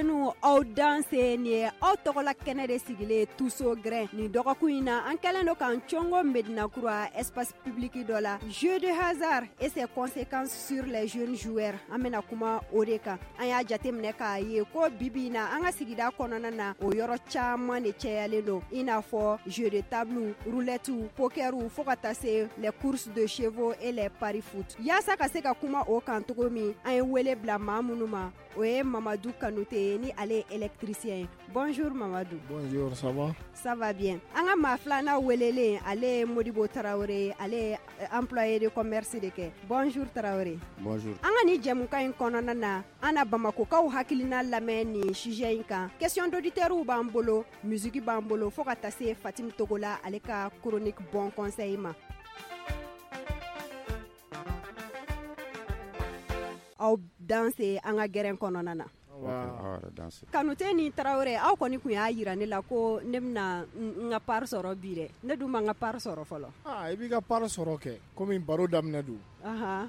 Jeunes, aw danse. Nin ye aw tɔgɔla kɛnɛ de sigilen Tuso Grin. Nin dɔgɔkun in na, an kɛlen don k'an cɔngɔ Medina Kura, espace public dɔ la. Jeu de hasard et ses conséquences sur les jeunes joueurs, an bɛna kuma o de kan. An y'a jateminɛ k'a ye ko bibi in na, an ka sigida kɔnɔna na, o yɔrɔ caman de cɛyalen don, i n'a fɔ jeu de table, roulette, poker, fo ka taa se les courses de chevaux et les paris foot. Yaasa ka se ka kuma o kan cogo min, an ye wele bila maa minnu ma, o ye Mamadu Kanute ye, ni ale ye électricien ye. Bonjour Mamadu. Bonjour, ça va? Ça va bien. An ka maa filanan welelen, ale ye Modibo Tarawele, ale ye employé de commerce de kɛ. Bonjour Tarawele. Bonjour. An ka nin jɛmukan in kɔnɔna na, an na Bamakɔkaw hakilina lamɛn nin sujet in kan. Question d'auditeurs b'an bolo, musique b'an bolo, fo ka taa se Fatim Togola ale ka chronique bon conseil ma. Aw danse an ka gɛrɛn kɔnɔna na. Kanute ni Tarawele, aw kɔni tun y'a jira ne la ko ne bɛna n ka part sɔrɔ bi dɛ. Ne dun ma n ka part sɔrɔ fɔlɔ. Aa, i b'i ka part sɔrɔ kɛ, komi baro daminɛ don.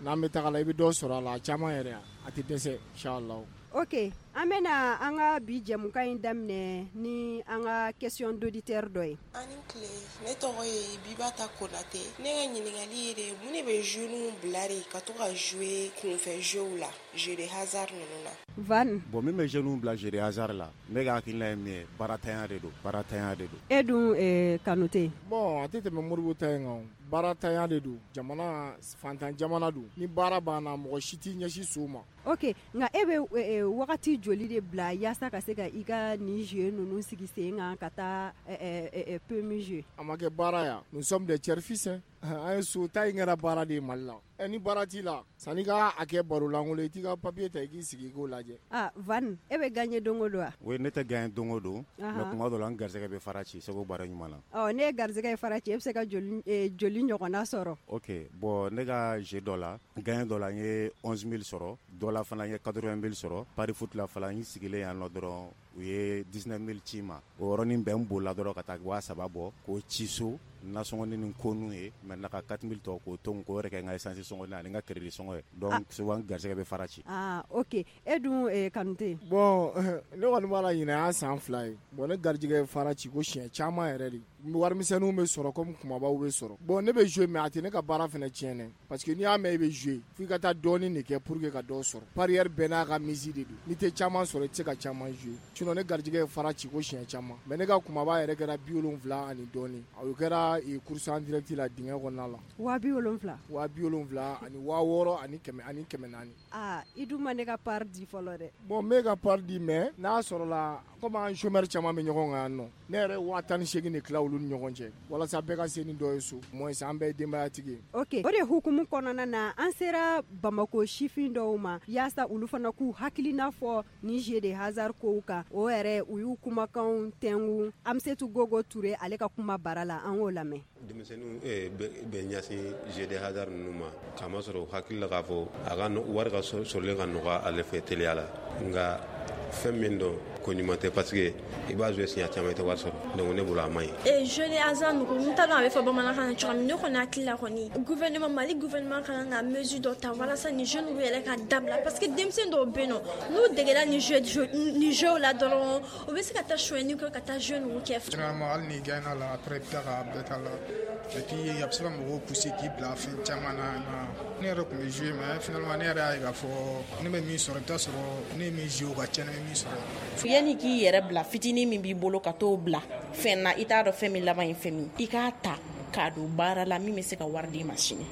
N'an bɛ taga la, i bɛ dɔ sɔrɔ a la, a caman yɛrɛ, a tɛ dɛsɛ inchallah. Ok, an bɛna an ka bi jɛmukan in daminɛ ni an ka question d'auditeur dɔ ye. Ani tile, ne tɔgɔ ye Bibata Konate. Ne ka ɲininkali ye de, mun de bɛ jeunes bila de ka to ka jouer kunfɛ jeux la, jeu de hasard ninnu na? Van. Bon, min bɛ jeunes bila jeu de hasard la, ne ka hakilina ye min ye, baaratanya de don, baaratanya de don. E dun Kanute? Bon, a tɛ tɛmɛ Modibo ta in kan, baaratanya de don. Jamana fantan jamana don, ni baara banna, mɔgɔ si t'i ɲɛsin so ma. Ok, nka e bɛ wagati joli de bila yaasa ka se ka i ka nin jeu ninnu sigi sen kan ka taa PMU jouer? A ma kɛ baara ya, nous sommes des tiers fils hein. An ye so ta in kɛra baara de ye Mali la. Ɛ, ni baara t'i la, sanni ka a kɛ baro lankolon ye, i t'i ka papier ta i k'i sigi i k'o lajɛ. Ah Van, e bɛ gagner don o don wa? Oui, ne tɛ gagner don o don, mais tuma dɔ la n garisɛgɛ bɛ fara ci seko baara ɲuman na. Ɔ, ne ye garisɛgɛ ye fara ci, e bɛ se ka joli joli ɲɔgɔnna sɔrɔ? Ok, bon, ne ka jeu dɔ la, gagner dɔ la, n ye 11 000 sɔrɔ, dɔ la fana n ye 80 000 sɔrɔ, pari foot la fana, n sigilen yan nɔ dɔrɔn, u ye 19 000 ci ma. O yɔrɔnin bɛɛ, n bolila dɔrɔn ka taa 3000 bɔ k'o ci so, nasɔngɔni ni ko ye. Maintenant ka 4000 tɔ k'o to n k'o yɛrɛ kɛ n ka essence sɔngɔ ani n ka crédit sɔngɔ ye. Donc souvent garisɛgɛ bɛ fara ci. Ah ok, e dun Kanute? Bon, ne kɔni b'a la, ɲinɛ y'a san 2 ye. Bon, ne garijɛgɛ ye fara ci ko siɲɛ caman yɛrɛ de. Warimisɛnninw bɛ sɔrɔ comme kumabaw bɛ sɔrɔ. Bon, ne bɛ jouer, mais a tɛ ne ka baara fana tiɲɛ dɛ, parce que n'i y'a mɛn i bɛ jouer, f'i ka taa dɔɔnin de kɛ pour que ka dɔ sɔrɔ. Parieur bɛɛ n'a ka mise de don, n'i tɛ caman sɔrɔ, i tɛ se ka caman jouer. Sinon ne garijɛgɛ ye fara ci ko siɲɛ caman, mais ne ka kumaba yɛrɛ kɛra 70 ani dɔɔnin. O kɛra course en direct la, dingɛ kɔnɔna la. 70 000? 70 000 ani 6000 ani kɛmɛ ani 400. Aa, i dun ma ne ka part di fɔlɔ dɛ. Bon, n b'e ka part di, mais n'a sɔrɔla comme an chômeur caman bɛ ɲɔgɔn kan yan nɔ, ne yɛrɛ ye 18 000 de tila olu ni ɲɔgɔn cɛ walasa bɛɛ ka se ni dɔ ye so, moins an bɛɛ ye denbayatigi ye. Ok, o de hukumu kɔnɔna na, an sera Bamako sifin dɔw ma yaasa olu fana k'u hakilina fɔ ni jeu de hasard kow kan. O yɛrɛ, u y'u kumakanw tɛngu Amsetu Gogo Ture ale ka kuma bara la, an k'o lamɛn. Denmisɛnninw bɛ ɲɛsin jeu de hasard ninnu ma k'a masɔrɔ u hakili la k'a fɔ a ka wari ka sɔrɔlen ka nɔgɔ ale fɛ teliya la. Nka fɛn min don, ko ɲuman tɛ, parce que i b'a jouer siɲɛ caman, i tɛ wari sɔrɔ. Donc ne bolo, a man ɲi. Ee, jeu de hasard ninnu, n t'a dɔn a bɛ fɔ bamanankan na cogoya min. Ne kɔni hakili la kɔni, gouvernement, Mali gouvernement ka kan ka mesure dɔ ta walasa ni jeunes yɛrɛ ka dabila, parce que denmisɛnnin dɔw bɛ yen nɔ, n'u degera ni jeu la dɔrɔn, u bɛ se ka taa sonyɛni kɛ, ka taa jeu ninnu kɛ. Généralement, hali n'i gagné la, après i bɛ tila k'a bɛɛ t'a la, et puis a bɛ se ka mɔgɔw pousser k'i bila fɛn caman na. Ne yɛrɛ tun bɛ jouer, mais finalement ne yɛrɛ y'a ye k'a fɔ ne bɛ min sɔrɔ, i bɛ taa sɔrɔ ne ye min jouer, o ka ca ni min sɔrɔ. Yanni k'i yɛrɛ bila, fitinin min b'i bolo, ka t'o bila fɛn na, i t'a dɔn fɛn min laban ye fɛn min, i k'a ta k'a don baara la min bɛ se ka wari d'i ma sini.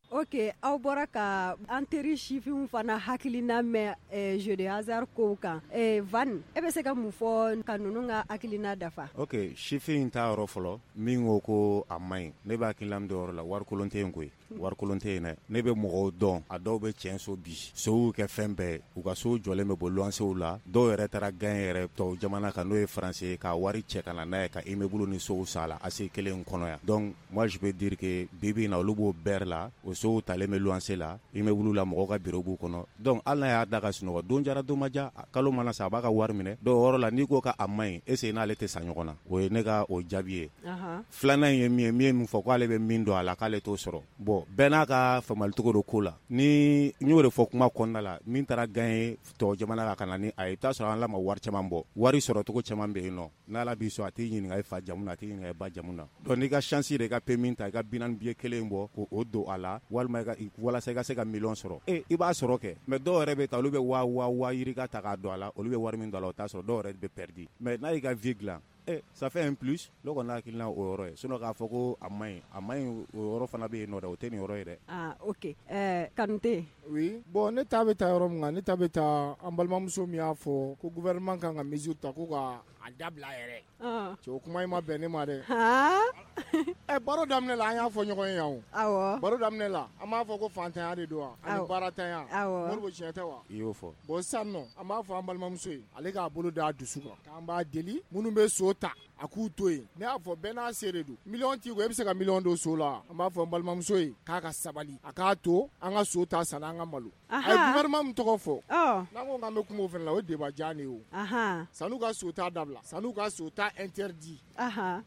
Ok, aw bɔra ka an teri sifinw fana hakilina mɛn jeu de hasard kow kan. Van, e bɛ se ka mun fɔ ka ninnu ka hakilina dafa? Ok, sifin ta yɔrɔ fɔlɔ min ko ko a man ɲi, ne b'a hakilina min yɔrɔ la, warikolon tɛ yen koyi, warikolon tɛ yen dɛ. Ne bɛ mɔgɔw dɔn, a dɔw bɛ cɛn so bi, sow kɛ fɛn bɛɛ, u ka sow jɔlen bɛ bɔ luwansew la. Dɔw yɛrɛ taara gagner yɛrɛ tubabu jamana kan, n'o ye France ye, ka wari cɛ ka na n'a ye ka immeuble ni sow san a la ACI kelen in kɔnɔ yan. Donc moi je peux dire que bi bi in na, olu b'o bɛɛ la, o sow. Sow talen bɛ luwanse la, immeuble la, mɔgɔw ka bureau b'u kɔnɔ. Donc hali n'a y'a da ka sunɔgɔ, don jara don ma ja, kalo mana sa, a b'a ka wari minɛ. Donc o yɔrɔ la, n'i ko k'a man ɲi, est ce que n'ale tɛ sa ɲɔgɔn na? O ye ne ka o jaabi ye. Filanan ye min fɔ, k'ale bɛ min dɔn a la, k'ale t'o sɔrɔ. Bon, bɛɛ n'a ka faamuyalicogo don ko la. Ni n y'o de fɔ kuma kɔnɔna la, min taara gagner tɔ jamana la ka na ni a ye, i bɛ taa sɔrɔ an la ma wari caman bɔ. Wari sɔrɔcogo caman bɛ yen nɔ. N'Ala b'i sɔn, a t'i ɲininka i fa jamu na, a t'i ɲininka i ba jamu na. Donc n'i ka chance de i ka PMU ta, i ka 40 billet kelen bɔ k'o don a la, walima walasa i ka se ka million sɔrɔ. I b'a sɔrɔ kɛ. Mais dɔw yɛrɛ bɛ taa, olu bɛ waa yirika ta k'a don a la, olu bɛ wari min don a la, o t'a sɔrɔ, dɔw yɛrɛ bɛ perdu. Mais n'a y'i ka vie dilan, ça fait un plus. Ne kɔni hakilina o yɔrɔ ye. Sinon k'a fɔ ko a man ɲi, a man ɲi, o yɔrɔ fana bɛ yen nɔ dɛ, o tɛ nin yɔrɔ ye dɛ. Ah, ok. Kanute. Oui. Bon, ne ta bɛ taa yɔrɔ min kan, ne ta bɛ taa an balimamuso min y'a fɔ ko gouvernement kan ka mesure ta ko ka a dabila yɛrɛ. Cɛ, o kuma in ma bɛn ne ma dɛ. Baro daminɛ la, an y'a fɔ ɲɔgɔn ye yan o. Awɔ. Baro daminɛ la, an b'a fɔ ko fantanya de don wa, ani baaratanya. Awɔ. Moribo, tiɲɛ tɛ wa? I y'o fɔ. Bon, sisan nɔ, an b'a fɔ an balimamuso ye, ale k'a bolo d'a dusu kan, k'an b'a deli, minnu bɛ so ta, a k'u to yen. Ne y'a fɔ bɛɛ n'a se de don. Miliyɔn t'i kun, e bɛ se ka miliyɔn don so la. An b'a fɔ an balimamuso ye k'a ka sabali, a k'a to an ka so ta san an ka malo. A ye gouvernement min tɔgɔ fɔ, n'an ko k'an bɛ kuma o fana la, o ye débat jan de ye o. San'u ka so ta dabila, san'u ka so ta interdit,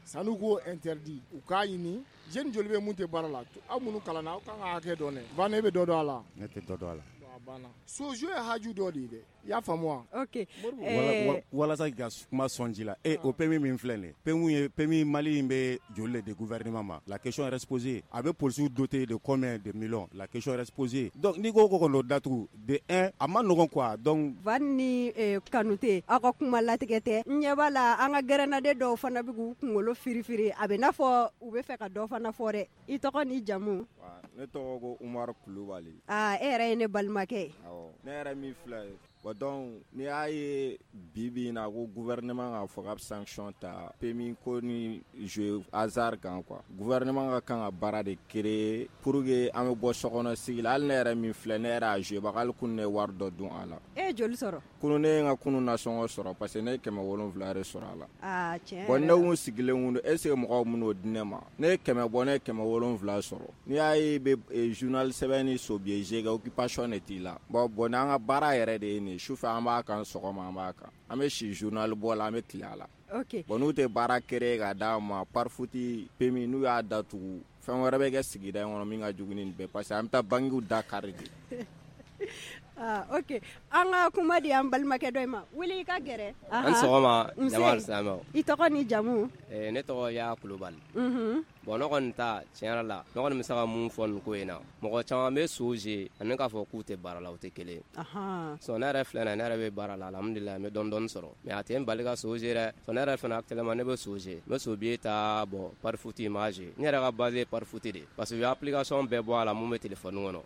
san'u k'o interdit, u k'a ɲini jeune joli bɛ mun tɛ baara la, aw minnu kalanna, aw kan ka hakɛ dɔn dɛ. Van, e bɛ dɔ dɔn a la? Ne tɛ dɔ dɔn a la. So jeu ye haju dɔ de ye dɛ, i y'a faamu wa? Ok. Walasa k'i ka kuma sɔn ji la, o PMU min filɛ nin ye, PMU ye PMU Mali in bɛ joli de gouvernement ma? La question reste posée. A bɛ policiers doté de combien de millions? La question reste posée. Donc n'i ko ko k'o datugu, de un, a ma nɔgɔn quoi. Donc Van ni Kanute, aw ka kuma latigɛ tɛ. N ɲɛ b'a la, an ka gɛrɛnnaden dɔw fana bɛ k'u kunkolo firifiri, a bɛ n'a fɔ u bɛ fɛ ka dɔ fana fɔ dɛ. I tɔgɔ ni jamu? Ne tɔgɔ ko Umaru Kulubali. Aa, e yɛrɛ ye ne balimakɛ ye. Awɔ, ne yɛrɛ min filɛ ye. Bon, donc n'i y'a ye bi bi in na ko gouvernement k'a fɔ k'a bɛ sanction ta PMU ko ni jeu hasard kan quoi, gouvernement ka kan ka baara de créer pour que an bɛ bɔ sokɔnɔ sigi la. Hali ne yɛrɛ min filɛ, ne yɛrɛ y'a jouer baga, hali kunun ne ye wari dɔ dun a la. E ye joli sɔrɔ? Kunun ne ye n ka kunun nasɔngɔ sɔrɔ, parce que ne ye 700 de sɔrɔ a la. Aa, tiɲɛ. Bon, ne kun sigilen kun don, est ce que mɔgɔw min'o di ne ma? Ne ye 100 bɔ, ne ye 700 sɔrɔ. N'i y'a ye i bɛ journal sɛbɛn ni so billet kɛ, occupation de t'i la. Bon, n'an ka baara yɛrɛ de ye nin ye, sufɛ an b'a kan, sɔgɔma an b'a kan, an bɛ si journal bɔ la, an bɛ tile a la. Ok. Bon, n'u tɛ baara créer ka d'a ma, pari foot, PMU, n'u y'a datugu, fɛn wɛrɛ bɛ kɛ sigida in kɔnɔ min ka jugu ni nin bɛɛ, parce que an bɛ taa banques da kari de. Ah, ok. An ka kuma di an balimakɛ dɔ in ma. Wuli i ka gɛrɛ. An sɔgɔma, jama silamɛw. I tɔgɔ ni jamu? Ne tɔgɔ Ya Kulubali. Bon, ne kɔni ta tiɲɛ yɛrɛ la, ne kɔni bɛ se ka mun fɔ nin ko in na, mɔgɔ caman bɛ so jouer ani k'a fɔ k'u tɛ baara la, o tɛ kelen ye. Sɔn ne yɛrɛ filɛ nin ye, ne yɛrɛ bɛ baara la, alhamdulilayi, n bɛ dɔɔni dɔɔni sɔrɔ, mais a tɛ n bali ka so jouer dɛ. Sɔn ne yɛrɛ fana actuellement ne bɛ so jouer, n bɛ so billet ta, bon, pari foot n b'a jouer. Ne yɛrɛ ka base ye pari foot de, parce que u ye application bɛɛ bɔ a la mun bɛ téléphone kɔnɔ.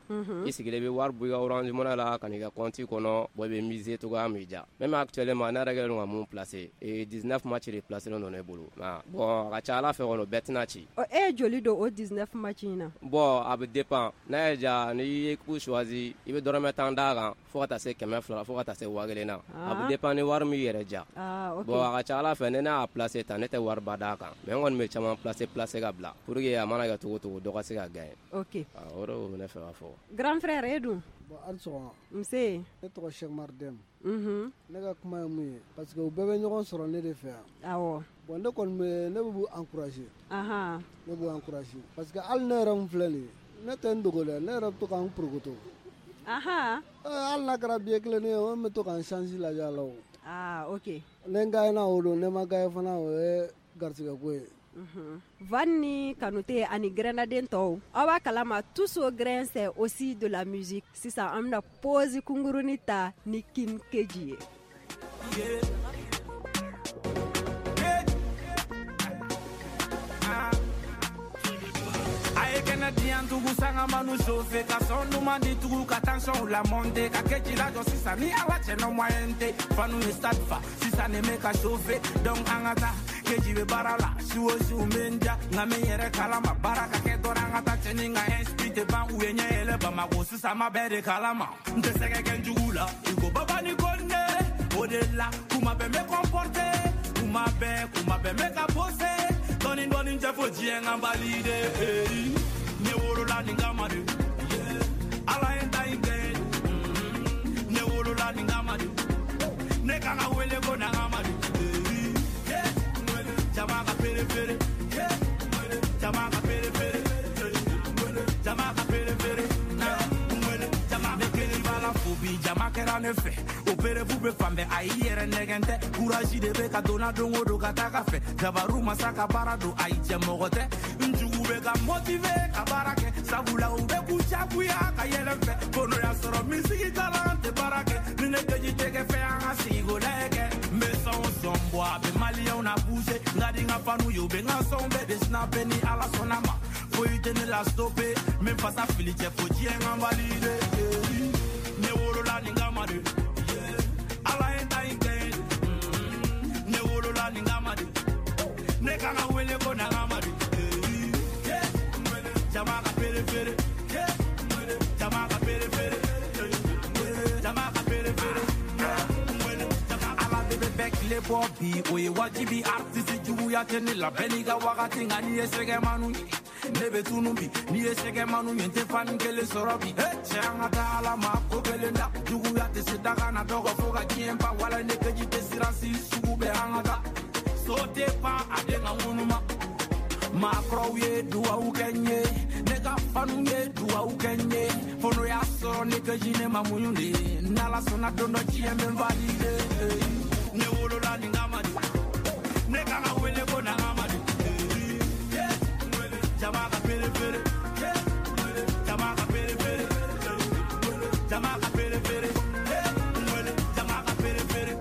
I sigilen i bɛ wari bɔ i ka Orange Money la ka n'i ka compte kɔnɔ, bon, i bɛ miser cogoya min diya. Même actuellement ne yɛrɛ kɛlen don ka mun placer, 19 match de placer don ne bolo. Bon, a ka ca Ala fɛ kɔni, o bɛɛ tɛna ci. E ye joli don o 19 match in na? Bon, a bɛ dépend. N'a y'i diya, n'i ye équipe choisi, i bɛ dɔrɔmɛ 10 d'a kan fo ka taa se 200 fo ka taa se 1000 na. A bɛ dépend ni wari min yɛrɛ diya. Bon, a ka ca Ala fɛ, ni ne y'a placer tan, ne tɛ wariba d'a kan, mais n kɔni bɛ caman placer ka bila pour que a mana kɛ cogo o cogo, dɔ ka se ka gagner. Ok. O de bɛ ne fɛ ka fɔ. Grand frère, e dun? Bon, hali sɔgɔma. Nse. Ne tɔgɔ Cheikh Umar Deme. Ne ka kuma ye mun ye, parce que u bɛɛ bɛ ɲɔgɔn sɔrɔ ne de fɛ yan. Awɔ. Bon, ne kɔni bɛ, ne b'u encourager. Ne b'u encourager parce que hali ne yɛrɛ min filɛ nin ye, ne tɛ n dogo dɛ, ne yɛrɛ bɛ to k'an porokoto. Hali n'a kɛra billet kelen ye, o bɛ to k'an chance lajɛ a la o. Ah, ok. Ne n gagné na o don, ne ma gagné fana, o ye garisɛgɛ ko ye. Van ni Kanute ani grenadien tɔw, aw b'a kalama, tous au grain c'est aussi de la musique. Sisan an bɛna pause kunkurunin ta ni King Keji ye. A ye kɛnɛ diyan tugu, sanga manu chauffer, ka sɔn duman di tugu, ka tension la monter, ka kɛ ji lajɔ sisan ni Ala cɛ no moyen tɛ. Fanu ye stade fa sisan, ne bɛ ka chauffer, donc an ka taa. Keji bɛ baara la su o su, n bɛ n ja, nka n bɛ n yɛrɛ kalama, baara ka kɛ dɔrɔn, an ka taa cɛni ka esprit tɛ ban, u ye ɲɛ yɛlɛ Bamako sisan, ma bɛɛ de kalama. N tɛ sɛgɛ kɛ n jugu la i ko baba ni Kone, o de la kuma bɛɛ n bɛ comporter, kuma bɛɛ, kuma bɛɛ n bɛ ka poser, dɔɔni dɔɔni tɛ fo diɲɛ ka valide. Ne wolola nin kama de. Jama kɛra ne fɛ o perefu bɛ fan bɛɛ ayi yɛrɛ nɛgɛn tɛ courage de bɛ ka donna don o don ka taga fɛ jabaru masa ka baara don ayi cɛ mɔgɔ tɛ n jugu bɛ ka motiver ka baara kɛ sabula u bɛ k'u jagoya ka yɛlɛ n fɛ ko n'o y'a sɔrɔ misigi kalan tɛ baara kɛ ni ne keji tɛ kɛ fɛn an ka sigi ko lajɛ kɛ n bɛ sɔn o sɔn bɔ a bɛ maliyɛnw na bouger n ka di n ka fanu ye u bɛ n ka sɔnw bɛɛ de snapper ni Ala sɔnna ma foyi tɛ ne la stopper n bɛ fasa fili cɛ fo diɲɛ ka valider ne wolola nin kama de Ala ye n ta in kɛ ye ne wolola nin kama de ne kan ka wele ko Nagama de jama ka pere pere jama ka pere pere jama ka pere pere Ala de bɛ bɛɛ tile bɔ bi o ye wajibi artiste juguya tɛ ne la bɛɛ n'i ka wagati nka n'i ye sɛgɛmanu ye ne bɛ tunu bi n'i ye sɛgɛmanu ye n tɛ fani kelen sɔrɔ bi cɛ an ka taa Ala ma ko kelen da juguya tɛ se daga na dɔgɔ fo ka diɲɛ ban wala ne keji tɛ siran si sugu bɛɛ an ka taa so tɛ pan a den ka ŋunuma maakɔrɔw ye duwawu kɛ n ye ne ka fanu ye duwawu kɛ n ye fo n'o y'a sɔrɔ ne keji ne ma muɲu de n'Ala sɔnna don dɔ diɲɛ bɛ n valider ne wolola nin kama de ne kan ka wele ko Nagama de jama ka pere pere jama ka pere pere jama ka pere pere jama ka pere pere.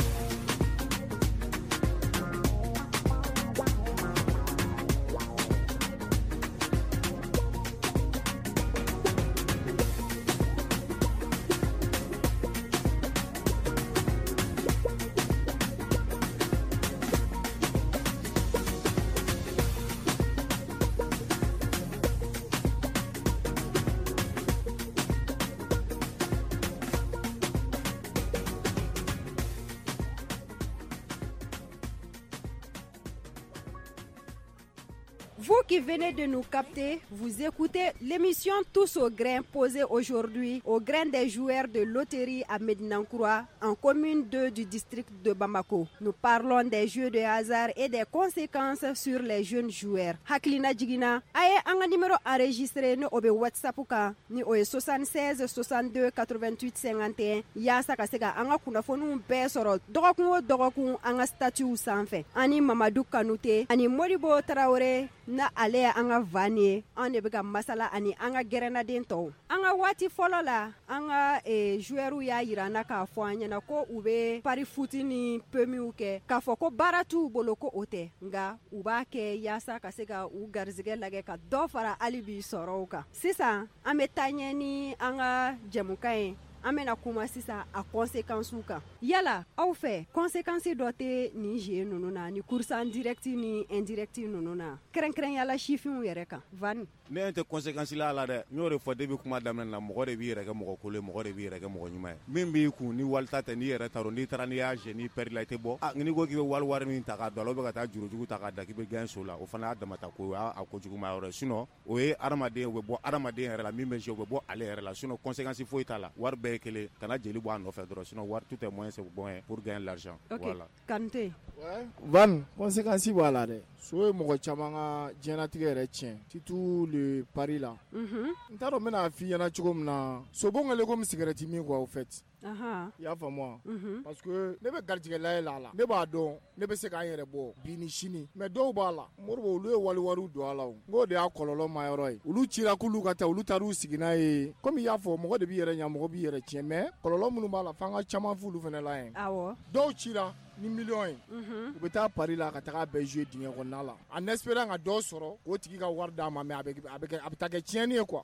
Vous qui venez de nous capter, vous écoutez l'émission Tous au grain posée aujourd'hui au grain des joueurs de loterie à Médina-Coura, en commune 2 du district de Bamako. Nous parlons des jeux de hasard et des conséquences sur les jeunes joueurs. Hakilina jigina, a ye an ka numéro enregistré ni o bɛ WhatsApp kan ni o ye 76 62 88 51 yaasa ka se ka an ka kunnafoniw bɛɛ sɔrɔ dɔgɔkun o dɔgɔkun an ka statuts sanfɛ. Ani Mamadu Kanute ani Modibo Traoré na ale ye an ka van ye, an de bɛ ka masala ani an ka gɛrɛnnaden tɔw. An ka waati fɔlɔ la, an ka joueurs y'a yira an na k'a fɔ an ɲɛna ko u bɛ pari foot ni PMU kɛ, k'a fɔ ko baara t'u bolo ko o tɛ, nka u b'a kɛ yaasa ka se ka u garisɛgɛ lajɛ ka dɔ fara hali bi sɔrɔw kan. Sisan an bɛ taa ɲɛ ni an ka jɛmukan ye. An bɛna kuma sisan a conséquences kan. Yala aw fɛ conséquences dɔ tɛ nin jeu ninnu na, ni course en direct ni indirect ninnu na, kɛrɛnkɛrɛnyala sifinw yɛrɛ kan? Van, ne tɛ conséquence la la dɛ, n y'o de fɔ depuis kuma daminɛ na, mɔgɔ de b'i yɛrɛ kɛ mɔgɔ kolon ye, mɔgɔ de b'i yɛrɛ kɛ mɔgɔ ɲuman ye. Min b'i kun ni walita tɛ, n'i yɛrɛ t'a dɔn, n'i taara n'i y'a jeu n'i perdre la i tɛ bɔ. N'i ko k'i bɛ wali min ta k'a don a la, ou bien ka taa jurujugu ta k'a da k'i bɛ gagner so la, o fana y'a damata ko ye, o y'a kojuguma yɔrɔ ye. Sinon o ye hadamaden, o bɛ bɔ hadamaden yɛrɛ la, min bɛ jouer o bɛ bɔ ale yɛrɛ la. Sinon conséquence foyi t'a la, wari bɛɛ ye kelen, kana jeli bɔ a nɔfɛ dɔrɔn, sinon wari tout est moyen c'est bon pour gagner l'argent. Ok, voilà. Kanute. Ouais, Van, conséquence b'a la dɛ. So ye mɔgɔ caman ka diɲɛlatigɛ yɛrɛ tiɲɛ, surtout le pari la. N t'a dɔn n bɛna f'i ɲɛna cogo min na, sobon kɛlen komi cigarette min quoi au fait. I y'a faamu wa? Parce que ne bɛ garijɛgɛ layɛ la a la, ne b'a dɔn ne bɛ se k'an yɛrɛ bɔ bi ni sini, mais dɔw b'a la Moribo, olu ye wali wariw don a la o, n k'o de y'a kɔlɔlɔ ma yɔrɔ ye. Olu cira k'olu ka taa, olu taar'u sigi n'a ye. Komi i y'a fɔ, mɔgɔ de b'i yɛrɛ ɲa, mɔgɔ b'i yɛrɛ tiɲɛ, mais kɔlɔlɔ minnu b'a la, f'an ka caman f'olu fana la yen. Awɔ. Dɔw cira ni miliyɔn ye, u bɛ taa pari la ka taga bɛɛ jouer dingɛ kɔnɔna la en espérant ka dɔ sɔrɔ k'o tigi ka wari d'a ma, mais a bɛ taa kɛ tiɲɛni ye quoi.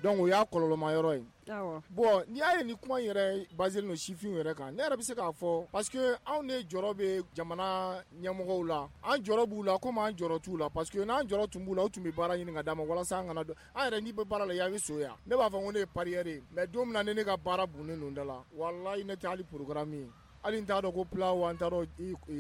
Donc o y'a kɔlɔlɔma yɔrɔ ye. Bon, n'i y'a ye ni kuma in yɛrɛ basé don sifinw yɛrɛ kan, ne yɛrɛ bɛ se k'a fɔ parce que anw de jɔrɔ bɛ jamana ɲɛmɔgɔw la, an jɔrɔ b'u la komi an jɔrɔ t'u la, parce que n'an jɔrɔ tun b'u la, u tun bɛ baara ɲini ka d'a ma walasa an kana don. An yɛrɛ n'i bɛ baara la, i bɛ so yan, ne b'a fɔ ko ne ye parieur ye, mais don min na ne ka baara bunnen don da la, walahi ne tɛ hali programme ye, hali n t'a dɔn ko plat wa, n t'a dɔn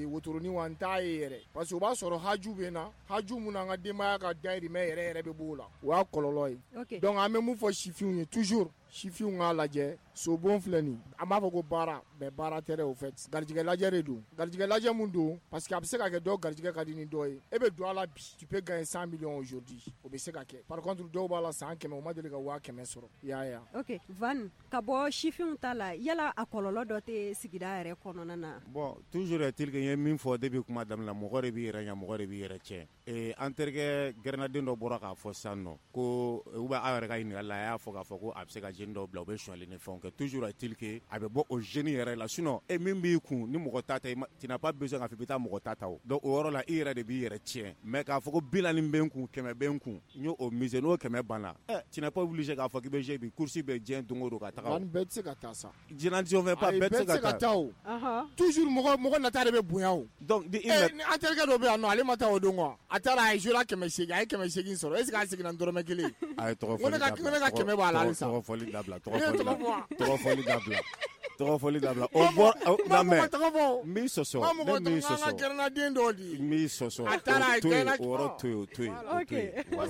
wotoronin wa, n t'a ye yɛrɛ, parce que o b'a sɔrɔ haju bɛ n na, haju mun na an ka denbaya ka dayirimɛ yɛrɛ yɛrɛ bɛ b'o la, o y'a kɔlɔlɔ ye. Donc an bɛ mun fɔ sifinw ye toujours, Sifinw k'a lajɛ, sobon filɛ nin, an b'a fɔ ko baara, mais baara tɛ dɛ au fait. Garijɛgɛ lajɛ de don. Garijɛgɛ lajɛ mun don, parce que a bɛ se ka kɛ dɔw garijɛgɛ ka di ni dɔ ye. E bɛ don a la bi, tu peux gagner 100 millions aujourd'hui. O bɛ se ka kɛ. Par contre dɔw b'a la san 100, u ma deli ka 100 000 sɔrɔ. I y'a ye wa? Ok Van, ka bɔ sifinw ta la, yala a kɔlɔlɔ dɔ tɛ sigida yɛrɛ kɔnɔna na? Bon, toujours est-il que n ye min fɔ depuis kuma daminɛ la, mɔgɔ de b'i yɛrɛ ɲɛ, mɔgɔ de b'i yɛrɛ tiɲɛ. Ee, an terikɛ gɛrɛnaden dɔ bɔra k'a fɔ sisan nɔ ko ou bien aw yɛrɛ ka ɲininkali la, a y'a fɔ k'a fɔ ko a bɛ se ka jeune dɔw bila u bɛ sonyali ni fɛnw kɛ. Toujours est-il que a bɛ bɔ o jeune yɛrɛ la, sinon e min b'i kun ni mɔgɔ ta tɛ, tu n'as pas besoin k'a fɔ i bɛ taa mɔgɔ ta ta o. Donc o yɔrɔ la, i yɛrɛ de b'i yɛrɛ tiɲɛ. Mais k'a fɔ ko 40 bɛ n kun, 100 bɛ n kun, n y'o miser, n'o 100 banna, ɛ, tu n'es pas obligé k'a fɔ k'i bɛ jouer bi, course bɛ diɲɛ don o don ka taga. Van, bɛɛ tɛ se ka taa sa. Je n'en disons pas, bɛɛ tɛ se ka taa o. Toujours mɔgɔ mɔgɔ nata de bɛ bonya o. Donc ni an terikɛ dɔ bɛ yan nɔ, ale ma taa o don quoi. A taara, a ye jouer la 800, a ye 800 sɔrɔ. Est ce que a seginna ni dɔrɔmɛ kelen ye? A ye tɔgɔ fɔli dabila. Ne ka 100 b'a la halisa. Tɔgɔ fɔli dabila. Tɔgɔ fɔli dabila. Tɔgɔ fɔli dabila. O bɔ lamɛn. N b'i sɔsɔ. Ne m'i sɔsɔ. An ka gɛrɛnnaden dɔw de. N b'i sɔsɔ. A taara, a ye to yen, o yɔrɔ to yen, o to yen. Ok.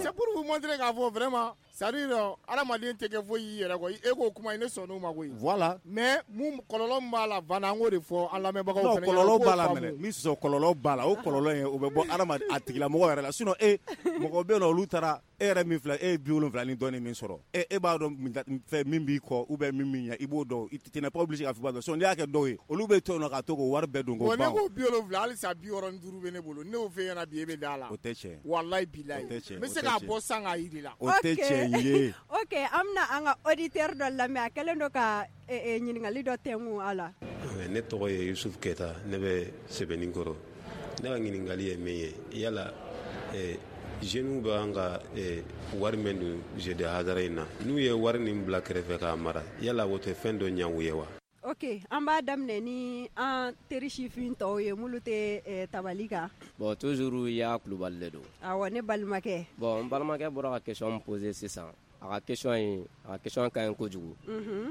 C'est pour vous montrer k'a fɔ vraiment, c'est à dire hadamaden tɛ kɛ foyi y'i yɛrɛ kɔ. E k'o kuma in, ne sɔnn'o ma koyi. Voilà. Mais mun kɔlɔlɔ min b'a la Van, an k'o de fɔ an lamɛnbagaw Non, fana ɲɛna, kɔlɔlɔ u k'o b'a la faamu. mɛnɛ. N b'i sɔsɔ, kɔlɔlɔ b'a la. O kɔlɔlɔ in, o bɛ bɔ hadamaden a tigilamɔgɔ yɛrɛ la. Sinon e mɔgɔ bɛ yen nɔ, olu taara, e yɛrɛ min filɛ, e ye 70 ni dɔɔnin min sɔrɔ, e b'a dɔn fɛn min b'i kɔ ou bien min b'i ɲɛ, i b'o dɔn. Tu n'es pas obligé k'a fɔ i b'a dɔn. Sinon n'i y'a kɛ dɔw ye, olu bɛ to yen nɔ ka to k'o wari bɛɛ don k'o Bon, ne ban. ko 70, halisa 65 bɛ ne bolo. Ne y'o f'e ɲɛna bi, e bɛ da la. O tɛ tiɲɛ. Walayi bilayi. O tɛ tiɲɛ. N bɛ se k'a bɔ san k'a yir'i la. O tɛ tiɲɛ ye. Ok, an bɛna an ka auditeur dɔ lamɛn, a kɛlen don ka ɲininkali dɔ tɛnku a la. Ne tɔgɔ ye Yusuf Keta, ne bɛ Sɛbɛnninkɔrɔ. Ne ka ɲininkali ye min ye, yala jeunes bɛ an ka wari min don jeu de hasard in na, n'u ye wari nin bila kɛrɛfɛ k'a mara, yala o tɛ fɛn dɔ ɲɛ u ye wa? Ok, an b'a daminɛ ni an teri sifin tɔw ye minnu tɛ tabali kan. Bon, toujours i y'a Kulubali de don. Awɔ, ne balimakɛ. Bon, n balimakɛ bɔra ka question min poser sisan, a ka question in, a ka question ka ɲi kojugu.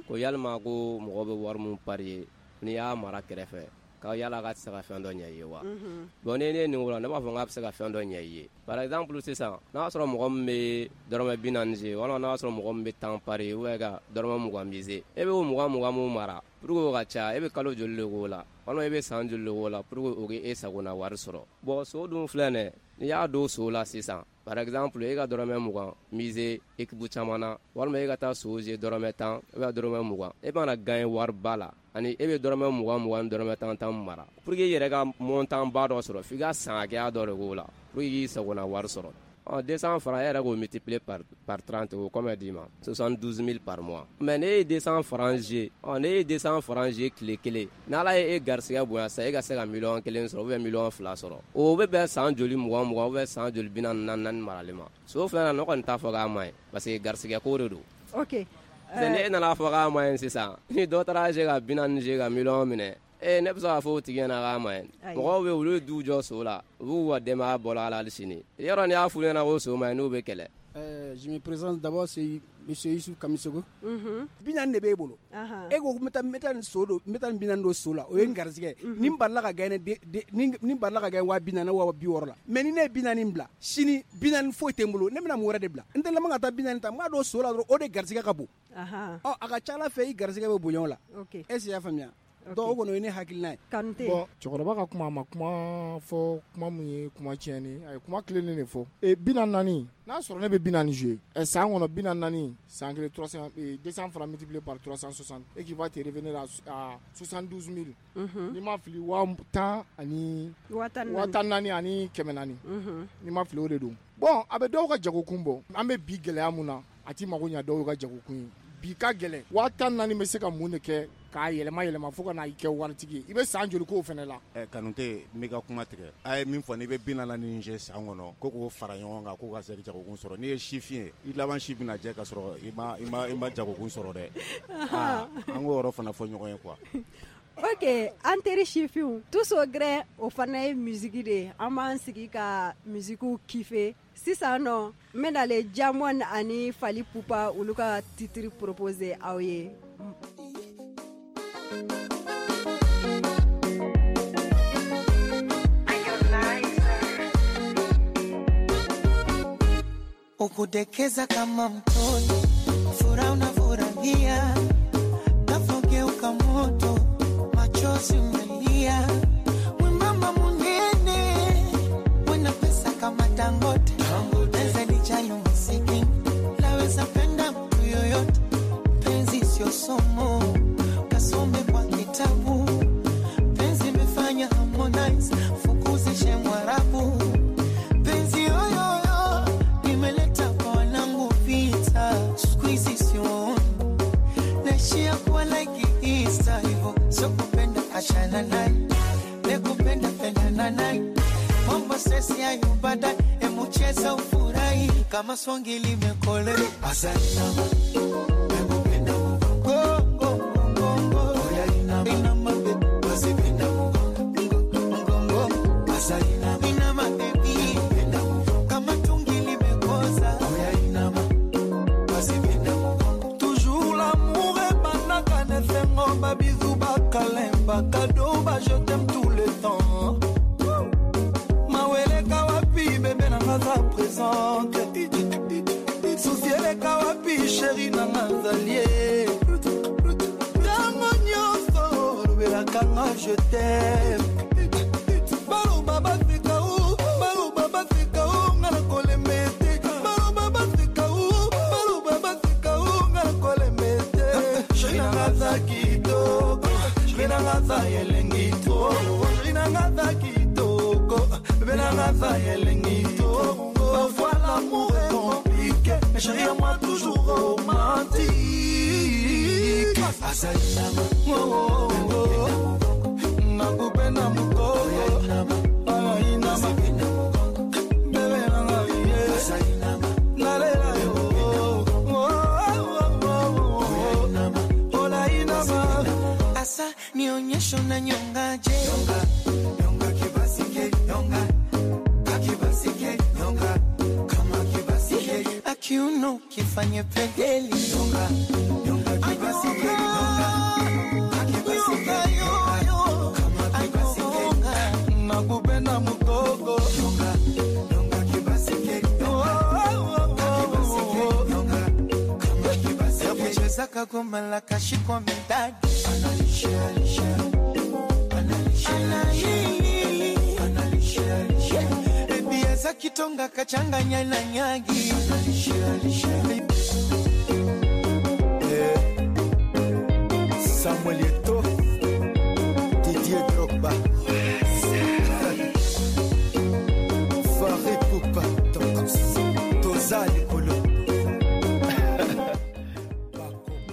Ko yalima ko mɔgɔ bɛ wari min parier, n'i y'a mara kɛrɛfɛ, ka yala ka tɛ se ka fɛn dɔ ɲɛ i ye wa? Bon, ni ne ye nin wolo, ne b'a fɔ k'a bɛ se ka fɛn dɔ ɲɛ i ye. Par exemple sisan, n'a y'a sɔrɔ mɔgɔ min bɛ dɔrɔmɛ 40 jouer, walima n'a y'a sɔrɔ mɔgɔ min bɛ 10 parier ou bien ka dɔrɔmɛ 20 miser, e bɛ o 20 20 mun mara pour que o ka ca, e bɛ kalo joli de k'o la, walima e bɛ san joli de k'o la pour que o k'e sagona wari sɔrɔ? Bon, so dun filɛ nin, n'i y'a don so la sisan, par exemple e ka dɔrɔmɛ 20 miser équipe caman na, walima e ka taa so jouer dɔrɔmɛ 10 ou bien dɔrɔmɛ 20, e mana gagner wariba la, ani e bɛ dɔrɔmɛ 20 20 ni dɔrɔmɛ 10 10 mara, pour que i yɛrɛ ka montant ba dɔ sɔrɔ, f'i ka san hakɛya dɔ de k'o la pour que i k'i sagona wari sɔrɔ. Ɔ, 200 francs, e yɛrɛ k'o multiplier par 30, o combien d'i ma? 72 000 par mois. Mais ne ye 200 francs jouer, ɔ, ne ye 200 francs jouer tile kelen, n'Ala ye e garisɛgɛ bonya sisan, e ka se ka miliyɔn 1 sɔrɔ ou bien miliyɔn 2 sɔrɔ, o bɛ bɛn san joli 20 20 ou bien san joli 44 marali ma? So filɛ nin, ne kɔni t'a fɔ k'a ma ɲi, parce que garisɛgɛ ko de don. Ok. Ne nana fɔ k'a ma ɲi sisan, ni dɔ taara jouer ka 40 jouer ka miliyɔn minɛ, ee, ne bɛ se k'a fɔ o tigi ɲɛna k'a ma ɲi? Mɔgɔw bɛ yen, olu ye du jɔ so la, u b'u ka denbaya bɔla a la hali sini. Yɔrɔ n'i y'a f'u ɲɛna ko so ma ɲi, n'u bɛ kɛlɛ. Je me présente d'abord, c'est monsieur Youssouf Kamisogo. 40 de b'e bolo. E ko n bɛ taa nin so don, n bɛ taa nin 40 don so la, o ye n garisɛgɛ. Ni n balila ka gagner, ni n balila ka gagner 40 000 60 000 la. Mais ni ne ye 40 bila, sini 40 foyi tɛ n bolo, ne bɛna mun wɛrɛ de bila? N tɛ laban ka taa 40 ta, n b'a don so la dɔrɔn, o de garisɛgɛ ka bon. Ɔ, a ka ca Ala fɛ, i garisɛgɛ bɛ bonya o la. Est ce que i y'a faamuya? Donc o kɔni, o ye ne hakilina ye. Kanute. Bon, cɛkɔrɔba ka kuma, a ma kuma fɔ kuma mun ye kuma tiɲɛni, a ye kuma tilennen de fɔ. E 44, n'a sɔrɔ ne bɛ 40 jouer ɛ san kɔnɔ, 44 san kelen, 300, 200 francs multiplié par 360 et qui va te revenir à 72 000. N'i ma fili, waa 10 ani 14 000. 14 400. N'i ma fili, o de don. Bon, a bɛ dɔw ka jagokun bɔ. An bɛ bi gɛlɛya mun na, a ti mago ɲɛ dɔw ka jagokun ye. Bi ka gɛlɛn, 14 000 bɛ se ka mun de kɛ k'a yɛlɛma yɛlɛma fo ka na i kɛ waritigi ye? I bɛ san joli k'o fana la? Ɛ, Kanute, n b'i ka kuma tigɛ. A ye min fɔ, n'i bɛ 40 jouer san kɔnɔ, ko k'o fara ɲɔgɔn kan, k'o ka se jagokun sɔrɔ, n'i ye sifin ye, i laban si bɛna jɛ ka sɔrɔ i ma jagokun sɔrɔ dɛ. Aa, an k'o yɔrɔ fana fɔ ɲɔgɔn ye quoi. Ok, an teri sifinw, tous au gré, o fana ye musique de ye. An b'an sigi ka musique kiffer. Sisan nɔ, n bɛ nalen Diamond ani Fally Ipupa, olu ka titre proposer aw ye. Ukudekeza kama mtoto. Furaha unafurahia, tafogeuka moto, machozi umelia. We mama munene, wena pesa kama Dangote. Pesa ni chayo masikini, laweza penda mtu yoyote. Penzi sio somo, kasome kwa kitabu. Penzi imefanya Harmonize, fukuzishe Mwarabu. Penzi yoyoyo, nimeleta kwa wanangu vita. Siku hizi siwaoni, naishia kuwa like Easter. Hivo sio kupenda achana naye, nikupenda pendana naye. Mambo sesi hayo baadaye, emu cheza ufurahi. Kama songi limekole Asainama, emupenda mgongo, mgongo. Oya inama, inama baby, wasipenda mgongo, mgongo. Asainama, inama baby, penda mgongo. Kama tungi limekoza Oya inama, wasipenda mgongo. Toujours l'amour ebandaka na esengo, ba bisous, ba câlin, ba cadeau, ba je t'aime tout le temps. Maweleka wapi bébé nanga za présente. Souci eleka wapi chéri nanga nzalie. Tango nyonso olobelaka nga je t'aime. Baloba baseka o, baloba baseka o, nga na kolemba ete. Baloba baseka o, baloba baseka o, nga na kolemba ete. Chéri nanga za kitoko, chéri nanga za elengi to. Chéri nanga za kitoko, bébé nanga za elengi to. Parfois l'amour est compliqué, mais chéri à moi toujours romantique. Asainama, oh oh oh, nakupenda mukoko. Asainama, bébé nanga ye. Asainama, nalela yo. Oh oh oh, ola inama. Asa nionyeshe unanyongaje. Nyonga, nyonga kibasike, nyonga. Kakibasike, nyonga. Kama kibasike. Akiuno kifanye pedeli. Nyonga, nyonga kibasike, nyonga. Kakibasike, nyonga. Kama kibasike. Nakupenda mukoko. Nyonga, nyonga kibasike, nyonga. Kakibasike, nyonga. Kama kibasike. Ya kucheza kagoma la kashikwa medadi. Analishe, alishe. Analishe, alishe. Analishe, alishe. Baby za kitonga kachanganya na nyagi. Analishe, alishe. Samuel Eto'o, Didier Drogba, Farid Poupa, Toza Likolo.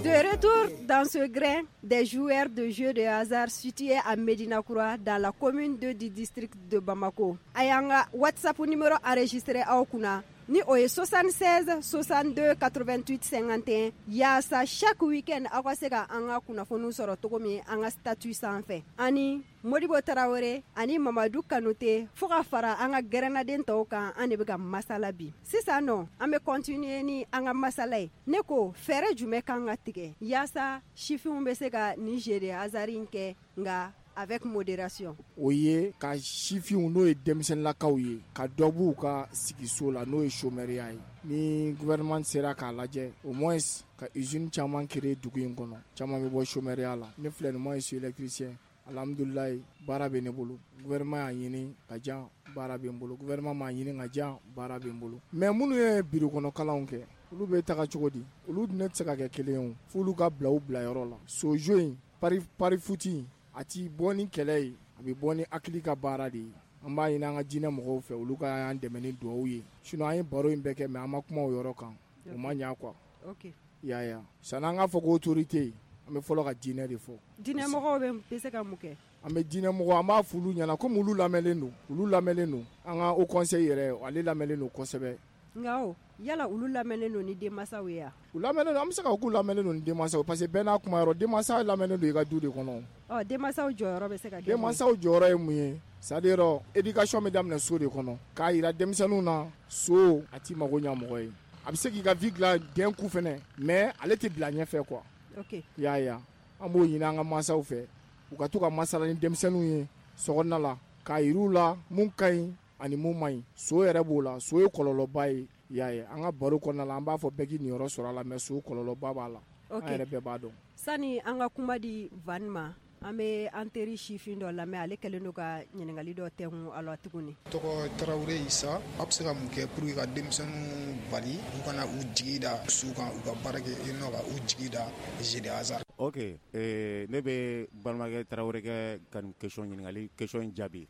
De retour dans ce grain des joueurs de jeux de hasard situés à Medina Koura dans la commune 2 du district de Bamako. Ayanga WhatsApp numéro enregistré aw kunna ni o ye 76 62 88 51 yaasa chaque week-end aw ka se ka an ka kunnafoniw sɔrɔ cogo min an ka statut sanfɛ. Ani Modibo Tarawele ani Mamadu Kanute fo ka fara an ka gɛrɛnaden tɔw kan, an de bɛ ka masala bi. Sisan nɔ an bɛ continuer ni an ka masala ye. Ne ko fɛɛrɛ jumɛn kan ka tigɛ yaasa sifinw bɛ se ka nin jeu de hasard in kɛ nka avec modération. O ye ka sifinw n'o ye denmisɛnninlakaw ye ka dɔ b'u ka sigiso la n'o ye chômeur ye. Ni gouvernement sera k'a lajɛ au moins ka usine caman créer dugu in kɔnɔ, caman bɛ bɔ chômeur la. Ne filɛ nin moi je suis électricien. Alhamdulilayi baara bɛ ne bolo. Gouvernement y'a ɲini ka jan baara bɛ n bolo. Gouvernement m'a ɲini ka jan baara bɛ n bolo. Mais minnu ye bureau kɔnɔ kalanw kɛ, olu bɛ taga cogo di? Olu ne tɛ se ka kɛ kelen ye o. F'olu ka bila u bilayɔrɔ la. Sojo in pari foot in a ti bɔ ni kɛlɛ ye, a bɛ bɔ ni hakili ka baara de ye. An b'a ɲini an ka diinɛ mɔgɔw fɛ olu ka y'an dɛmɛ ni dugawu ye. Sinon an ye baro in bɛɛ kɛ mais an ma kuma o yɔrɔ kan. O ma ɲa quoi. Ok. I y'a ye wa. Sanni an k'a fɔ ko autorité, an bɛ fɔlɔ ka diinɛ de fɔ. Diinɛ mɔgɔw bɛ se ka mun kɛ? An bɛ diinɛ mɔgɔw, an b'a f'olu ɲɛna komi olu lamɛnlen don, olu lamɛnlen don. An ka haut conseil yɛrɛ ale lamɛnlen don kosɛbɛ. Nka o yala olu lamɛnnen don ni denmansaw ye wa? U lamɛnnen don, an bɛ se ka fɔ k'u lamɛnnen don ni denmansaw parce que bɛɛ n'a kuma yɔrɔ, denmansa lamɛnnen don i ka du de kɔnɔ. Ɔ denmansaw jɔyɔrɔ bɛ se ka kɛ mun ye? Denmansaw jɔyɔrɔ ye mun ye? C'est à dire éducation bɛ daminɛ so de kɔnɔ k'a yira denmisɛnninw na so a t'i mago ɲɛ mɔgɔ ye. A bɛ se k'i ka vie dilan d'un coup fɛnɛ mais ale tɛ bila ɲɛfɛ quoi. Ok. I y'a ye wa? An b'o ɲini an ka mansaw fɛ u ka to ka masala ni denmisɛnninw ye sokɔnɔna la k'a yir'u la mun ka ɲi ani mun man ɲi. So yɛrɛ b'o la, so ye kɔlɔlɔba ye. I y'a ye, an ka baro kɔnɔna la, an b'a fɔ bɛɛ k'i niyɔrɔ sɔrɔ a la, mais so kɔlɔlɔba b'a la. An yɛrɛ bɛɛ b'a dɔn. Sani an ka kuma di Van ma, an bɛ an teri sifin dɔ lamɛn, ale kɛlen don ka ɲininkali dɔ tɛnku a la tuguni. Tɔgɔ Tarawele Isa. A bɛ se ka mun kɛ pour que ka denmisɛnninw bali u kana u jigi da su kan, u ka baara kɛ i nɔ ka u jigi da jeu de hasard? Ok, ne bɛ balimakɛ Tarawele kɛ ka nin question ɲininkali question in jaabi.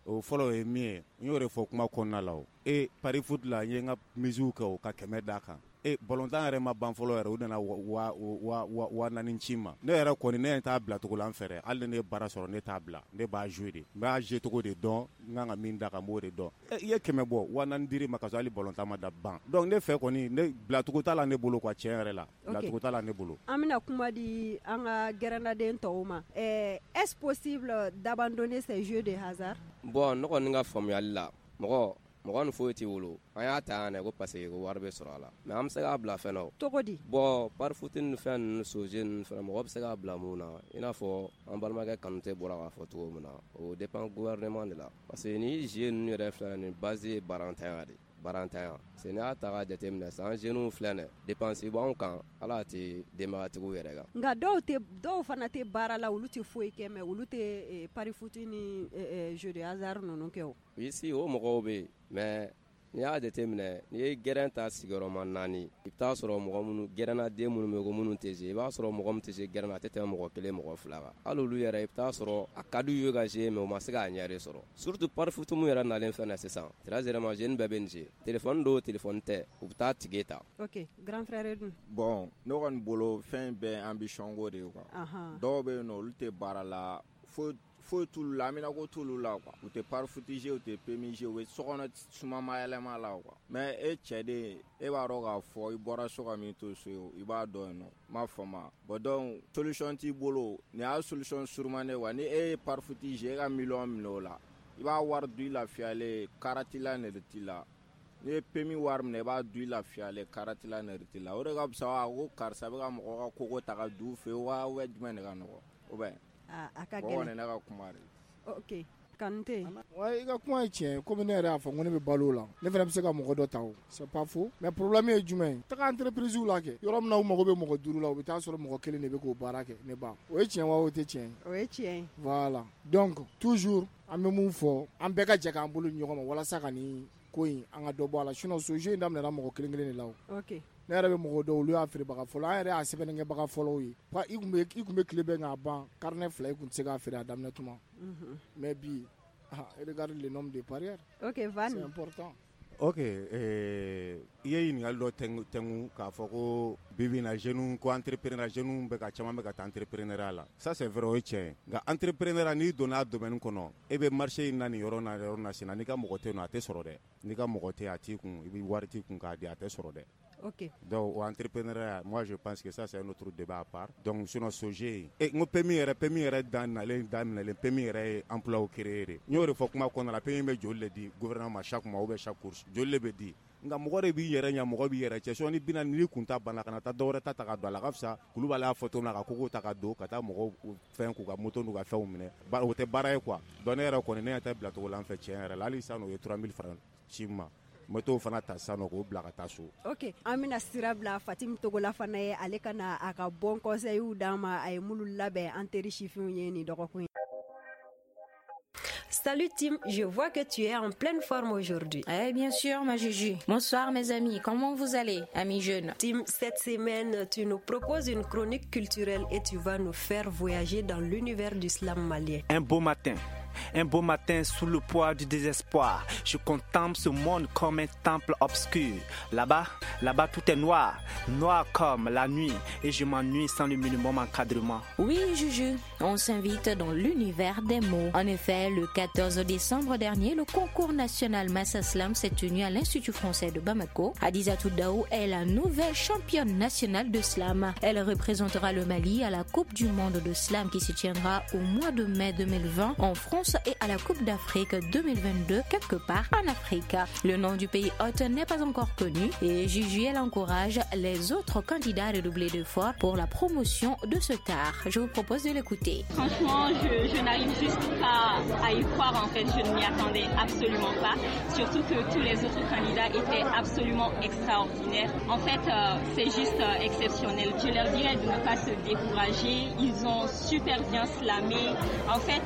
O fɔlɔ ye min ye, n y'o de fɔ kuma kɔnɔna la o. E pari foot la, n ye n ka mise kɛ o ka 100 d'a kan. E balontan yɛrɛ ma ban fɔlɔ yɛrɛ, u nana 4000 ci ma. Ne yɛrɛ kɔni, ne t'a bila cogo la an fɛ dɛ. Hali ni ne ye baara sɔrɔ, ne t'a bila, ne b'a jouer de, n b'a jouer cogo de dɔn, n kan ka min da kan, n b'o de dɔn. I ye 100 bɔ, 4000 dir'i ma ka sɔrɔ hali balontan ma da ban. Donc ne fɛ kɔni, ne bilacogo t'a la ne bolo quoi, tiɲɛ yɛrɛ la, bilacogo t'a la ne bolo. An bɛna kuma di an ka gɛrɛnnaden tɔw ma. Est-ce possible d'abandonner ces jeux de hasard? Bon, ne kɔni ka faamuyali la, mɔgɔ mɔgɔ ni foyi t'i bolo, an y'a ta yan ko parce que ko wari bɛ sɔrɔ a la, mais an bɛ se k'a bila fɛn na. Cogo di? Bon, pari foot ni fɛn ninnu, soje ninnu fɛnɛ, mɔgɔ bɛ se k'a bila mun na, i n'a fɔ an balimakɛ Kanute bɔra k'a fɔ cogo min na, o dépend gouvernement de la, parce que ni jeu ninnu yɛrɛ filɛ nin base ye barantanya de, barantanya. Parce que n'i y'a ta k'a jateminɛ sisan, an jeunes filɛ nin dépense b'anw kan, ala tɛ denbayatigiw yɛrɛ kan. Nka dɔw fana tɛ baara la, olu tɛ foyi kɛ, mais olu tɛ pari foot ni jeu de hasard ninnu kɛ o. Ici o mɔgɔw bɛ yen, mais n'i y'a jateminɛ, n'i ye gɛrɛn ta sigiyɔrɔma 4, i bɛ taa sɔrɔ mɔgɔ minnu gɛrɛnnaden minnu bɛ ko minnu tɛ se, i b'a sɔrɔ mɔgɔ min tɛ se gɛrɛn na, a tɛ tɛmɛ mɔgɔ 1 mɔgɔ 2 kan. Hali olu yɛrɛ, i bɛ taa sɔrɔ a ka d'u ye ka jouer, mais u ma se k'a ɲɛ de sɔrɔ. Surtout pari foot mun yɛrɛ nalen fɛn na sisan, très généralement jeune bɛɛ bɛ nin jouer, téléphone do, téléphone tɛ, u bɛ taa ticket ta. Ok, grand frère dun? Bon, ne kɔni bolo, fɛn bɛɛ ambition ko de ye quoi. Dɔw bɛ yen nɔ, olu tɛ baara la, foyi t'olu la, aminako t'olu la quoi. U tɛ pari foot jouer, u tɛ PMU jouer, u bɛ sokɔnɔ sumamayɛlɛma la quoi. Mais e cɛ den, e b'a dɔn k'a fɔ i bɔra so ka min to so ye, i b'a dɔn yen nɔ, n m'a faamu. Bon, donc solution t'i bolo, nin y'a solution surumani ye quoi. Ni e ye pari foot jouer, e ka miliyɔn minɛ o la, i b'a wari dun i lafiyalen, karati la nɛrɛ t'i la. N'i ye PMU wari minɛ, i b'a dun i lafiyalen, karati la nɛrɛ t'i la. O de ka fisa wa ko karisa bɛ ka mɔgɔ ka koko ta ka du fɛ wa, jumɛn de ka nɔgɔn o bɛ? A ka gɛlɛn. Ne ka kuma de. Ok, Kanute. Wa i ka kuma ye tiɲɛ, komi ne yɛrɛ y'a fɔ ko ne bɛ balo la, ne fana bɛ se ka mɔgɔ dɔ ta o, c'est pas faux, mais problème ye jumɛn ye? Taga entreprise la kɛ, yɔrɔ min na u mago bɛ mɔgɔ 5 la, u bɛ taa sɔrɔ mɔgɔ 1 de bɛ k'o baara kɛ. Ne ba, o ye tiɲɛ wa o tɛ tiɲɛ ye? O ye tiɲɛ ye. Voilà, donc toujours an bɛ mun fɔ, an bɛɛ ka jɛ k'an bolo di ɲɔgɔn ma walasa ka nin ko in, an ka dɔ bɔ a la. Sinon so jeu in daminɛna mɔgɔ kelen kelen de la o. Ok. Ne yɛrɛ bɛ mɔgɔ dɔw, olu y'a feerebaga fɔlɔ, an yɛrɛ y'a sɛbɛnnikɛbaga fɔlɔw ye. I kun bɛ tile bɛɛ k'a ban, carnet 2 i kun tɛ se k'a feere a daminɛ tuma. Mais bi, regarde le nombre de parieurs. Ok, Van. C'est important. Ok, i ye ɲininkali dɔ tɛnku k'a fɔ ko bi bi in na, jeunes ko entrepreneur, jeunes bɛ ka caman bɛ ka taa entrepreneuriat la. Ça c'est vrai, o ye tiɲɛ ye. Nka entrepreneuriat, n'i donna a domaine kɔnɔ, e bɛ marché in na nin yɔrɔ na, yɔrɔ na sen na, n'i ka mɔgɔ tɛ yen nɔ, a tɛ sɔrɔ dɛ. N'i ka mɔgɔ tɛ yen, a t'i kun, i bɛ wari t'i kun k'a di, a tɛ sɔrɔ dɛ. Ok. Donc o entrepreneuriat, moi je pense que ça c'est un autre débat à part. Donc sinon SOGE, e n ko PMU yɛrɛ, PMU yɛrɛ dan nalen daminɛlen, PMU yɛrɛ ye emploi créer de. N y'o de fɔ kuma kɔnɔna la, PMU bɛ joli de di gouvernement ma chaque mois ou bien chaque course, joli de bɛ di? Nka mɔgɔ de b'i yɛrɛ ɲɛ, mɔgɔ b'i yɛrɛ cɛ. Sinon ni 40 n'i kun ta banna, kana taa dɔwɛrɛ ta ka don a la, a ka fisa Kulubali y'a fɔ cogo min na, ka kogo ta ka don ka taa mɔgɔw fɛn k'u ka moto n'u ka fɛnw minɛ, o tɛ baara ye quoi. Donc ne yɛrɛ kɔni, ne ɲɛ tɛ bilacogo la an fɛ tiɲɛ yɛrɛ la. Hali sisan, o ye 3000 francs ci n ma, n bɛ t'o fana ta sisan nɔ k'o bila ka taa so. Ok, an bɛna sira bila Fatim Togola fana ye, ale ka na a ka bon conseil d'an ma, a ye minnu labɛn an teri sifinw ye nin dɔgɔkun ye. Salut Tim, je vois que tu es en pleine forme aujourd'hui. Eh bien sûr, ma Juju. Bonsoir mes amis, comment vous allez, amis jeunes? Tim, cette semaine, tu nous proposes une chronique culturelle et tu vas nous faire voyager dans l'univers du slam malien. Un beau matin. Un beau matin, sous le poids du désespoir, je contemple ce monde comme un temple obscur. Là-bas, là-bas tout est noir, noir comme la nuit, et je m'ennuie sans le minimum encadrement. Oui, Juju, on s'invite dans l'univers des mots. En effet, le 14 décembre dernier, le concours national Massa Slam s'est tenu à l'Institut français de Bamako. Hadizatou Daou est la nouvelle championne nationale de slam. Elle représentera le Mali à la Coupe du monde de slam qui se tiendra au mois de mai 2020 en France. France et à la Coupe d'Afrique 2022 quelque part en Afrique. Le nom du pays hôte n'est pas encore connu et Juju, elle encourage les autres candidats à redoubler d'efforts pour la promotion de cet art. Je vous propose de l'écouter. Franchement, je n'arrive juste pas à y croire en fait. Je ne m'y attendais absolument pas. Surtout que tous les autres candidats étaient absolument extraordinaires. En fait, c'est juste exceptionnel. Je leur dirais de ne pas se décourager. Ils ont super bien slamé. En fait,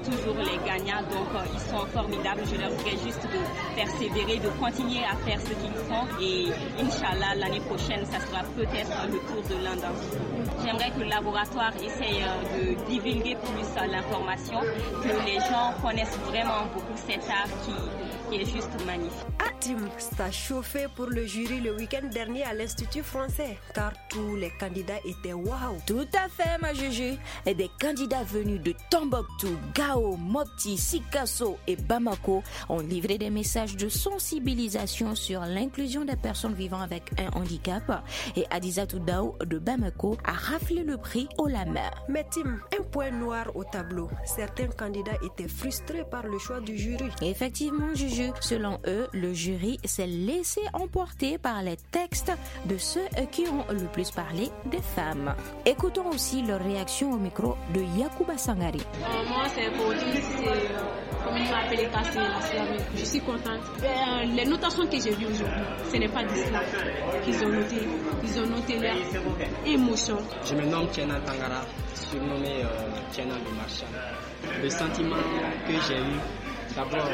toujours les gagnants, donc ils sont formidables. Je leur dirais juste de persévérer, de continuer à faire ce qu'ils font. Et Inch'Allah, l'année prochaine, ça sera peut-être le tour de l'un d'entre eux. J'aimerais que le laboratoire essaye de divulguer plus l'information, que les gens connaissent vraiment beaucoup cet art qui est juste magnifique. Ah Tim, ça chauffait pour le jury le week-end dernier à l'Institut français, car tous les candidats étaient waouh. Tout à fait, ma Juju. Et des candidats venus de Tombouctou, Gao, Mopti, Sikasso et Bamako ont livré des messages de sensibilisation sur l'inclusion des personnes vivant avec un handicap. Et Adizatou Dao de Bamako a raflé le prix haut la main. Mais Tim, un point noir au tableau. Certains candidats étaient frustrés par le choix du jury. Effectivement, Juju, selon eux, le jury s'est laissé emporter par les textes de ceux qui ont le plus parlé des femmes. Écoutons aussi leur réaction au micro de Yacouba Sangari. Moi, c'est pour dire, c'est comme ils m'ont appelé Kassé, la slam. Je suis contente. Les notations que j'ai vues aujourd'hui, ce n'est pas du slam qu'ils ont noté. Ils ont noté leur émotion. Je me nomme Tiena Tangara, surnommé Tiena le Marchand. Le sentiment que j'ai eu, d'abord,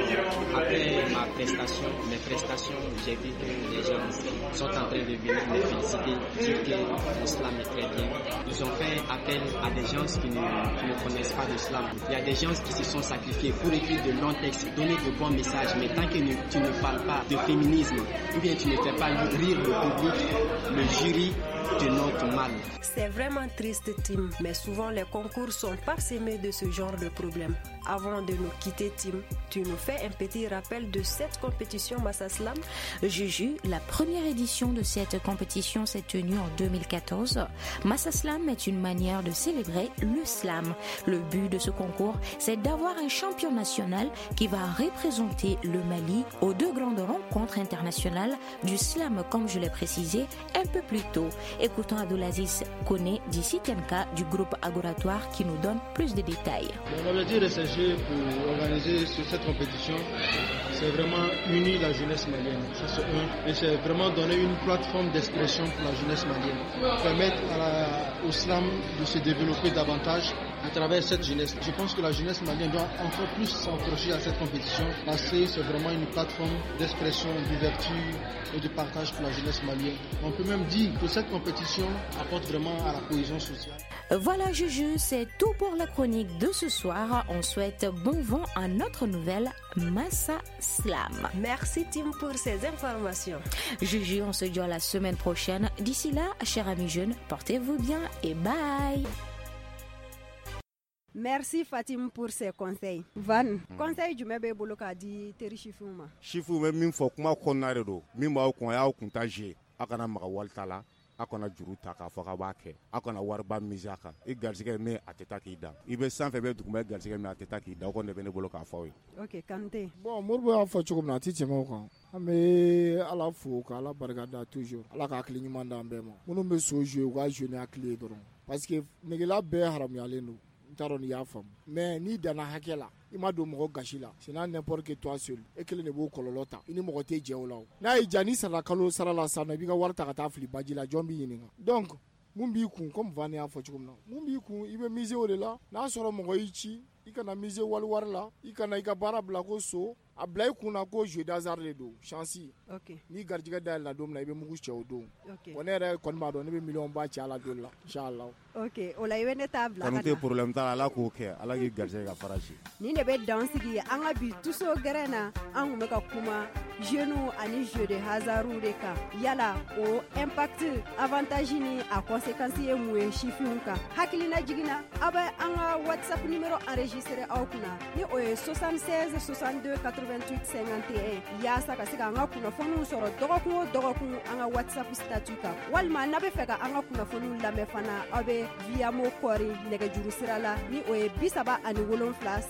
après ma prestation, mes prestations, j'ai vu que les gens sont en train de venir me féliciter, dire que le slam est très bien. Ils ont fait appel à des gens qui ne connaissent pas le slam. Il y a des gens qui se sont sacrifiés pour écrire de longs textes, donner de bons messages, mais tant que tu ne parles pas de féminisme, ou bien tu ne fais pas rire le public, le jury te note mal. C'est vraiment triste, Tim, mais souvent les concours sont parsemés de ce genre de problèmes. Avant de nous quitter, Tim, tu nous fais un petit rappel de cette compétition Massa Slam? Juju, la première édition de cette compétition s'est tenue en 2014. Massa Slam est une manière de célébrer le slam. Le but de ce concours, c'est d'avoir un champion national qui va représenter le Mali aux deux grandes rencontres internationales du slam, comme je l'ai précisé un peu plus tôt. Écoutons Abdoulaziz Kone d'ici TMK du groupe Agoratoire qui nous donne plus de détails. L'objectif de ces jeux pour organiser cette compétition, c'est vraiment unir la jeunesse malienne. Ça, c'est un. Et c'est vraiment donner une plateforme d'expression pour la jeunesse malienne. Permettre au slam de se développer davantage à travers cette jeunesse. Je pense que la jeunesse malienne doit encore plus s'accrocher à cette compétition parce que c'est vraiment une plateforme d'expression, d'ouverture et de partage pour la jeunesse malienne. On peut même dire que cette compétition apporte vraiment à la cohésion sociale. Voilà Juju, c'est tout pour la chronique de ce soir. On souhaite bon vent à notre nouvelle Massa Slam. Merci Tim pour ces informations. Juju, on se dit à la semaine prochaine. D'ici là, chers amis jeunes, portez-vous bien et bye. Merci Fatim pour ces conseils. Van, conseil jumɛn b'e bolo k'a di teri sifinw ma? Sifinw bɛ min fɔ kuma kɔnɔna de don, min b'aw kun a y'aw kun ta jouer, aw kana maga wari ta la, aw kana juru ta k'a fɔ k'aw b'a kɛ, aw kana wariba miser a kan. I garisɛgɛ min a tɛ taa k'i dan, i bɛ sanfɛ i bɛ duguma, i garisɛgɛ min a tɛ taa k'i dan, o kɔni de bɛ ne bolo k'a fɔ aw ye. Ok, Kante. Bon, Moribo y'a fɔ cogo min na a tɛ tɛmɛ o kan. An bɛ Ala fo ka Ala barika da toujours, Ala ka hakili ɲuman d'an bɛɛ ma. Minnu bɛ so jouer u ka jouer ni hakili ye dɔrɔn, parce que negela bɛɛ haramuyalen don. N t'a dɔn n'i y'a faamu, mais n'i danna hakɛ la, i ma don mɔgɔ gasi la, c'est n'importe que toi seul, e kelen de b'o kɔlɔlɔ ta, i ni mɔgɔ tɛ jɛ o la o. N'a y'i diya n'i sara kalo sara la sisan nɔ, i b'i ka wari ta ka taa fili baji la, jɔn b'i ɲininka? Donc mun b'i kun, comme Van y'a fɔ cogo min na, mun b'i kun, i bɛ miser o de la. N'a sɔrɔ mɔgɔ y'i ci, i kana miser wali wari la, i kana i ka baara bila ko so, a bila i kun na ko jeu d'hasard de don, chance. N'i garijɛgɛ dayɛlɛla don min na, i bɛ mugu cɛ o don. Bon, ne yɛrɛ kɔni b'a dɔn ne bɛ miliyɔn ba ci a la don la, inchallah. Ok, o la i bɛ ne ta bila ka na. Kanu tɛ problème t'a la, Ala k'o kɛ, Ala k'i garijɛgɛ ka fara si. Nin de bɛ dan sigi an ka bi tuso gɛrɛn na, an kun bɛ ka kuma jeunes ani jeu de hasard de kan. Yala o impact, avantage ni a conséquence ye mun ye sifinw kan? Hakilina jiginna, aw bɛ an ka WhatsApp numéro enregistré aw kunna ni o ye 76 62 88 51 yaasa ka se ka an ka kunnafoniw sɔrɔ dɔgɔkun o dɔgɔkun an ka WhatsApp statut kan, walima n'a bɛ fɛ ka an ka kunnafoniw lamɛn fana, aw bɛ Viamo kɔri nɛgɛjuru sira la ni o ye 37 3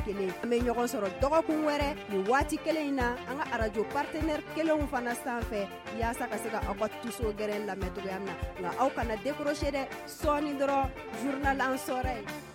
21. An bɛ ɲɔgɔn sɔrɔ dɔgɔkun wɛrɛ nin waati kelen in na an ka arajo partenaire kelenw fana sanfɛ yaasa ka se ka aw ka tuso gɛrɛn lamɛn cogoya min na. Nka aw kana décrocher dɛ, sɔɔni dɔrɔn journal en sɔrɔ ye.